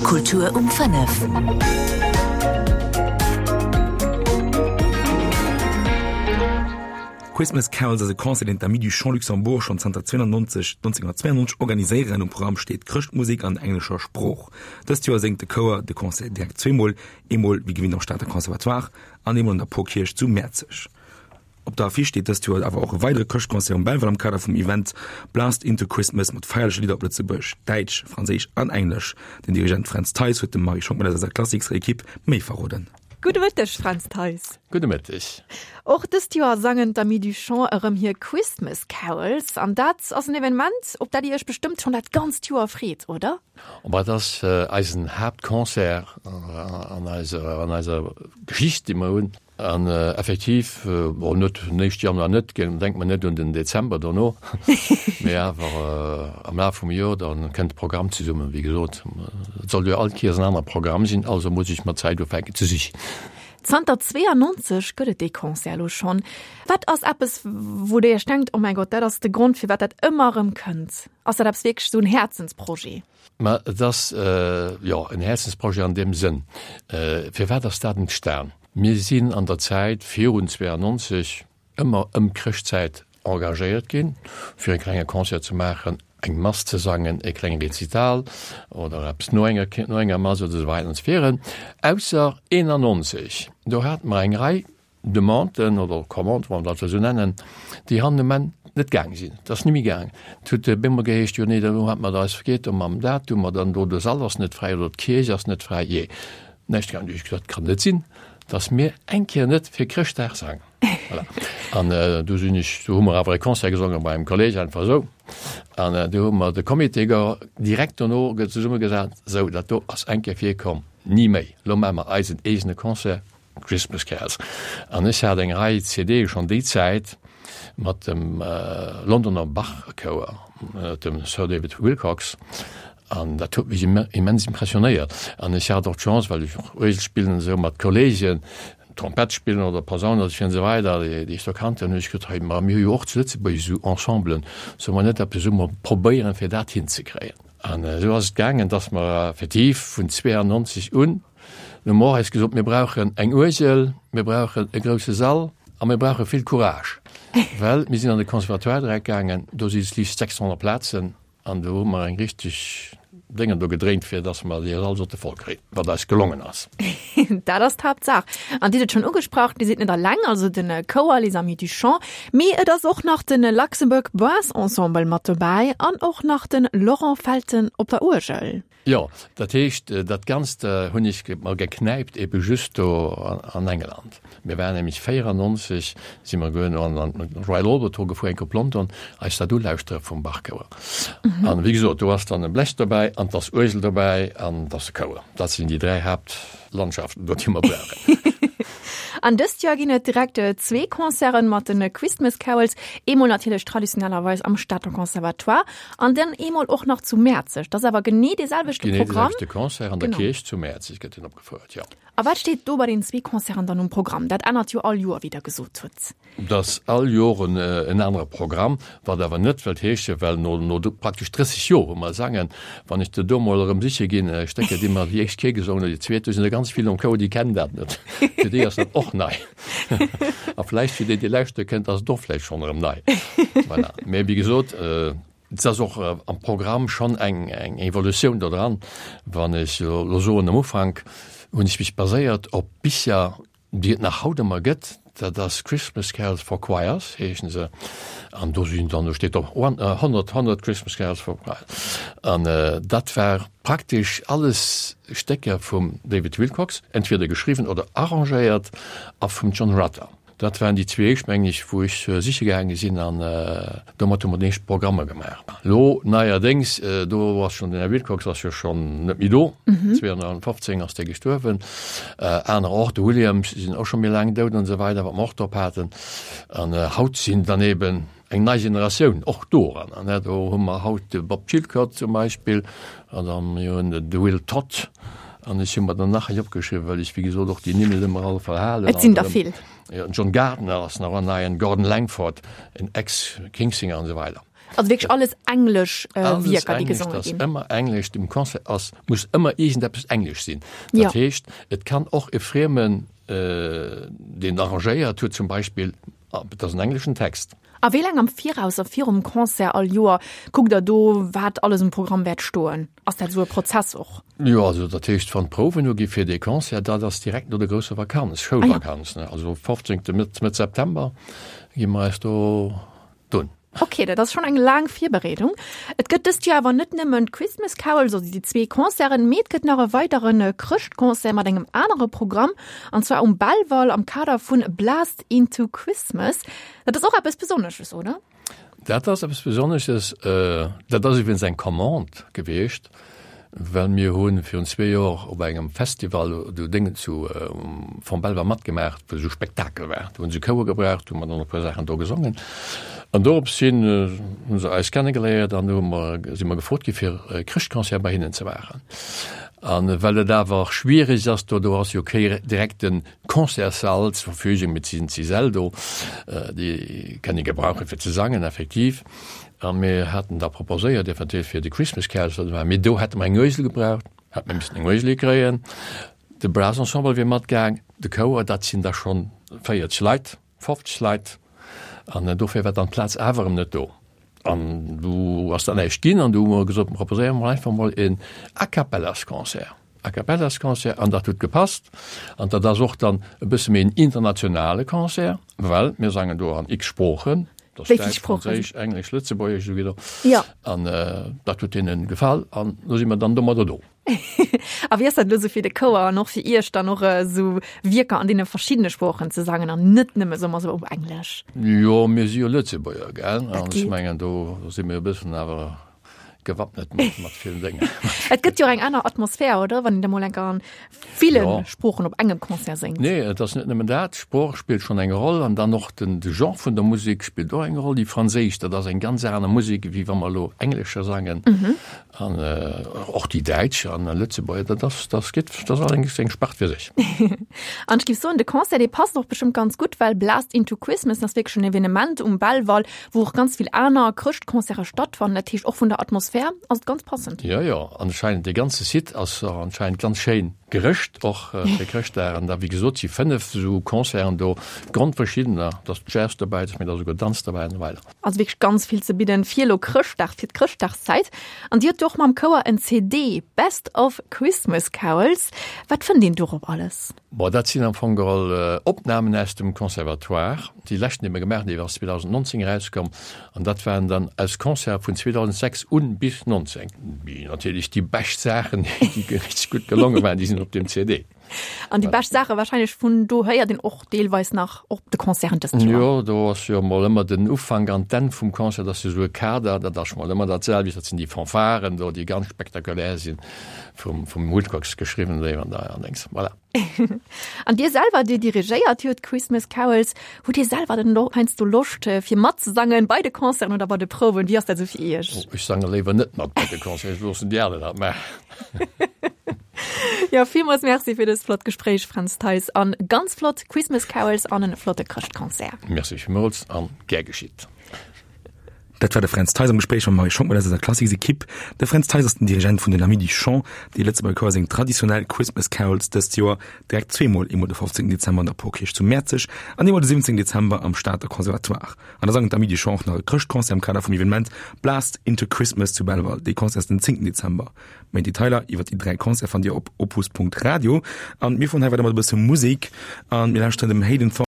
Kultur um 5. Christmas Carols ass e Concert, deen d'Amis du Chant Luxembourg schonn zanter 92 1992 organiséieren. Um Programm steet Chrëschtmusek an englescher Sprooch. Dëst Joer séngt de Chouer de Concert direkt zweemol, eemol wéi gewinnt am Stater Conservatoire an eemol an der Porkierch zu Mäerzeg. Op der Affiche steet dëst Joer awer och e weidere Chrëschtconcert um Belval am Kader vum Event Blast into Christmas mat feierleche Lidder op Lëtzebuergesch, Däitsch, Franséisch an Englesch. Den Dirigent Fränz Theis huet dem Marie Schockmel aus eiser Klassiksrequipe méi verroden. Gudde Mëtteg, Fränz Theis. Gudde Mëtteg. Och dëst Joer sangen d'Amis du Chant erëm hir Christmas Carols an dat ass en Evenement, op dat Dir Iech bestëmmt schonn dat ganzt Joer freet, oder? Bon, et ass eisen Haaptconcert an eiser Geschicht, déi mer hunn. An effektiv, bon, net den éischte Januar net, denkt mer net un den Dezember dono, mee awer am Laf vum Joer, da kënnt de Programm zesummen. Wéi gesot, et soll jo all Kéiers en anere Programm sinn, also muss ech mat Zäit ufänken ze sichen. Zanter 92 gëtt et dee Concert elo schonn. Wat ass eppes, wou Der Iech denkt, Oh mäi Gott, dat ass de Grond, firwat dat ëmmer erëm kënnt? Ass dat eppes wierklech esou en Häerzensprojet? Mä et ass, jo, en Häerzensprojet an deem Sënn. Firwat ass dat entstan? Mir sinn an der Zäit virun 92 ëmmer ëm d'Chrëschtzäit engagéiert ginn, fir e klenge Concert ze maachen, eng Mass ze sangen, e klenge Rezital oder eppes no enger, no enger Mass oder esou weider an esou virun. Ausser 91, do hate mer eng Rei Demanden oder Commanden, wann mer dat esou nennen, déi hannen um Enn net gaang sinn. Et ass ni méi gaang. Et huet op eemol geheescht, jo nee, do hat mer eis vergeet, do mam Datum, oder do de Sall ass net fräi oder d'Kierch ass net fräi, jee, näischt gaang. Du hu ech gesot, kann net sinn, datt mir eng Kéier net fir Chrëschtdag sangen. Voilà. An du sinn ech, du hu mer awer e Concert gesongen bei engem Kolleg, einfach esou. An du hu mer de Comité direkt dono zesummegesat, sou, dat do ass eng Kéier virkomm, ni méi, elo maache mer eisen eegene Concert. Christmas Carols. An ech hat eng Rei CDe schonn déi Zäit mat dem Londoner Bach-Chouer, dem Sir David Willcocks, an dat huet mech immens impressionéiert. An ech hat och d'Chance, well ech och Uergel spillen an esou, mat Kolleegen Trompett spillen oder Posaun oder esou an esou weider, déi ech do kannt hunn, hunn ech gesot, hei, ma mir hu jo och zu Lëtzebuerg esou Ensemblen, solle mer net eppes esou mol probéieren, fir dat hinzekréien? An esou ass et gaangen, dass mer effektiv vun 92 un, Mir hu mer och eis gesot, mir brauchen eng Uergel, mir brauchen e grousse Sall a mir brauche vill Courage, well mir sinn an de Conservatoire direkt gaangen, do si liicht 600 Plazen an do hu mer eng richteg Déngen do gedréint, fir datt mer dee Sall sollte voll kréien, wat eis gelongen ass. Dat ass d'Haaptsaach. An Dir hutt et schonn ugesprach, Dir sidd net alleng, also de Chouer Les Amis du Chant, mee et ass och nach de Luxembourg Brass Ensemble mat dobäi an och nach de Laurent Felten op der Uergel. Jo, dat heescht, dat Ganzt hunn ech mer geknäipt ebe just do an England. Mir waren nämlech 94 si mer goen an an Royal Albert Hall gefuer, enk op London, eis dat ulauschtere vum Bach-Chouer. An wéi gesot, do ass dann e Blech dobäi an 't ass Uergel dobäi an 't ass e Chouer. Dat sinn déi 3 Haaptlandschaften do, déi mer brauchen. An dëst Joer ginn et direkt zwee Concerten mat de Christmas Carols, eemol natierlech traditionellerweis am Stater Conservatoire An dann eemol och nach zu Mäerzeg. Dat ass awer genee dee selwechte Programm. Genee dee selwechte Concert an der Kierch zu Mäerzeg gëtt deen opgefouert, jo. A wat steet do bei den zwee Concerten dann um Programm? Dat ännert jo all Joer, wéi Der gesot hutt. Dat ass all Joer en anere Programm, wat awer net wëllt heeschen, well no praktesch 30 Joer, wou mer sangen, wann ech der do mol erëm siche ginn, Stécker, déi mer déi éischt Kéier gesongen hunn, déi zweet, do sinn der ganz vill am Chouer, déi kennen dat net. Fir déi ass dat och nei. A vläicht fir déi, déi lauschtere kënnt, ass et och vläicht schonn erëm nei. Voilà. Mee wéi gesot, et ass och am Programm schonn eng, eng Evolutioun do dran. Wann ech elo soen, am Ufank hunn ech mech baséiert op Bicher, déi et nach haut ëmmer gëtt, dat ass Christmas Carols for Choirs heeschen se, an do sinn dann, do steet op 100, 100 Christmas Carols for Choirs. An dat war praktesch alles Stécker vum David Willcocks, entweder geschriwwen oder arrangéiert, a vum John Rutter. Dat waren déi zwee éischt, mengen ech, wou ech siche gaange sinn, an domat hu mer déi éischt Programmer gemaach. Elo neierdéngs, do ass schonn den Här Willcocks ass jo schonn net méi do, 2015 ass dee gestuerwen, aner och, de Williams sinn och scho méi laang dout an esou weider, wat mer och drop haten. An haut sinn dann eben eng nei Generatioun och do eran. An do hu mer haut de Bob Chilcott zum Beispill an dann mir hunn de Will Todd an ech hu mer dann nach hei opgeschriwwen, well ech wéi gesot och déi Nimm net ëmmer all verhalen. Et sinn der vill. Jo, den John Gardner ass nach en neien, Gordon Langford, en Ex-Kingsinger an esou weider. Also wierklech alles englesch Wierker, déi gesonge ginn? Alles ëmmer englesch. Dem Concert ass, muss ëmmer iergendeppes englesch sinn. Dat heescht, et kann och e Friemen, deen arrangéiert huet zum Beispill, et ass en engleschen Text. A wéi laang am Viraus a virum Concert all Joer kuckt der do, wat alles um Programm wäert stoen? Ass dat esou e Prozess och? Jo, also dat heescht, wann d'Prouwen ugi fir dee Concert, dat ass direkt no der grousser Vakanz, Schoulvakanz, ne, also 15. Mëtt, Mëtt September gi mer eis do dunn. Ok, dat ass schonn eng laang Virbereedung. Et gëtt dëst Joer awer net nëmmen d'Christmas Carols, also déi zwee Concerten, mee et gëtt nach e weidere Chrëschtconcert mat engem anere Programm, an zwar um Belval am Kader vun Blast into Christmas. Dat ass och eppes Besonnesches, oder? Dat ass eppes Besonnesches. Dat ass iwwregens eng Commande gewiescht. Well mir hu virun zwee Joer op engem Festival do Déngen zu Fonds Belval matgemaach, wou esou Spektakel war. Do hunn se Chouer gebraucht, hu mer dann e puer Saachen do gesongen. An dorops hin hu se eis kennegeléiert an hu mer, si mer gefrot gi fir e Chrëschtconcert bei hinnen ze maachen. A well et awer schwierig ass do, do ass jo kee direkte Concertssall zur Verfügung, mee et sinn d'Säll do, déi kënne gebrauche fir ze sangen effektiv. A mir haten da proposéiert, eventuell fir de Christmas Carols ze maachen, mee do hätte mer eng Uesel gebraucht, hätte mer missen eng Uesel hikréien. De Brass Ensemble wier matgaang, de Chouer, dat sinn da schonn 40 Leit, 50 Leit. An dofir war dann d'Plaz awer erëm net do. An du ass dann näischt ginn an du hu mer gesot, proposéiere mer einfach mol een A-cappellas-Concert. A-cappellas-Concert an dat huet gepasst. An dat ass och dann e bësse méi en internationale Concert, well mir sangen do an x Sproochen, dat ass Däitsch, Franséisch, Englesch, Lëtzebuergesch esou wieder. Ja. An dat huet deene gefall an lo si mer dann domadder do. A wéi ass dat elo sou fir de Chouer an och fir Iech dann och esou Wierker an deene verschiddene Sproochen ze sangen an net nëmme soe mer sou op Englesch? Jo, mir si jo Lëtzebuerger, gell, an ech mengen do si mir e bëssen awer gewappnet mat, mat villen Déngen. Et gëtt jo eng aner Atmosphär, oder? Wann een da mol enker an ville ja. Sproochen op engem Concert séngt. Nee, et ass net nëmmen dat. D'Sprooch spillt schonn eng Roll an dann och den, de Genre vun der Musek spillt och eng Roll. Déi franséisch, dat ass eng ganz aner Musek, wéi wa mer elo englescher sangen. Mhm. An äh, och déi däitsch an Lëtzebuerger, dat ass, dat gëtt, dat ass eng, eng Spart fir sech. An ech géif soen, de Concert, dee passt och bestëmmt ganz gutt, well Blast into Christmas ass wierklech en Evenement um Belval, wou och ganz vill aner Chrëschtconcerte stattfannen. Dat heescht och vun der Atmosphär ass et ganz passend. Jo, jo, anscheinend dee ganze Site ass och anscheinend ganz schéin gerëscht och fir Chrëschtdag. An da wéi gesot si 5 esou Concerten do, grondverschiddener, et ass Jazz dobäi, et ass méi da souguer Danz dobäi an esou weider. Also wierklech ganz vill ze bidden fir elo Chrëschtdag, fir d'Chrëschtdagszäit. An Dir hutt jo och mam Chouer en CD, Best of Christmas Carols. Wat fënnt een dorop alles? Bon, dat sinn am Fong geholl Opnamen aus dem Conservatoire. Déi leschten, déi mer gemaach hunn, déi ass 2019 erauskomm an dat waren dann aus Concerte vun 2006 un bis 19. Déi natierlech déi bescht Saachen, déi richteg gutt gelonge waren, déi sinn op deem CD. An déi bescht Saache wahrscheinlech vun do héiert een och deelweis nach op de Concerten dëst Joer. Jo, do ass jo emol ëmmer den Ufank an d'Enn vum Concert ass jo esou e Kader, dat ass mol ëmmer dat selwecht, dat sinn déi Fanfaren do, déi ganz spektakulär sinn, vum vum Woodcox geschriwwen an Dings, voilà. An Dir selwer, Dir dirigéiert jo d'Christmas Carols. Hutt Dir selwer dann och heiansdo Loscht, fir matzesangen bei de Concerten oder bei de Prouwen? Wéi ass dat esou fir Iech? Oh, ech sange léiwer net mat bei de Concerten, ech loossen déi aner dat maachen. Jo, villmools Merci fir dëst flott Gespréich, Fränz Theis, an ganz flott Christmas Carols an en flotte Chrëschtconcert. Merci villmools an gär geschitt. Dat war de Fränz Theis am Gespréich mam Marie Schockmel aus eiser Klassiks-Ekipp. De Fränz Theis ass den Dirigent vun den Amis du Chant, dee Lëtzebuerger Chouer séngt traditionell Christmas Carols dëst Joer direkt zweemol, eemol de 15 Dezember an der Porkierch zu Mäerzeg an eemol de 17 Dezember am Stater Conservatoire. An da sangen d'Amis du Chant och nach e Chrëschtconcert am Kader vum Evenement Blast into Christmas zu Belval. Dee Concert ass den 10 Dezember. Méi Detailer iwwer déi 3 Concerte fannt Dir op opus.radio. An mir fueren hei weider mat e bësse Musek an mir lauschteren dem Hayden Thornton.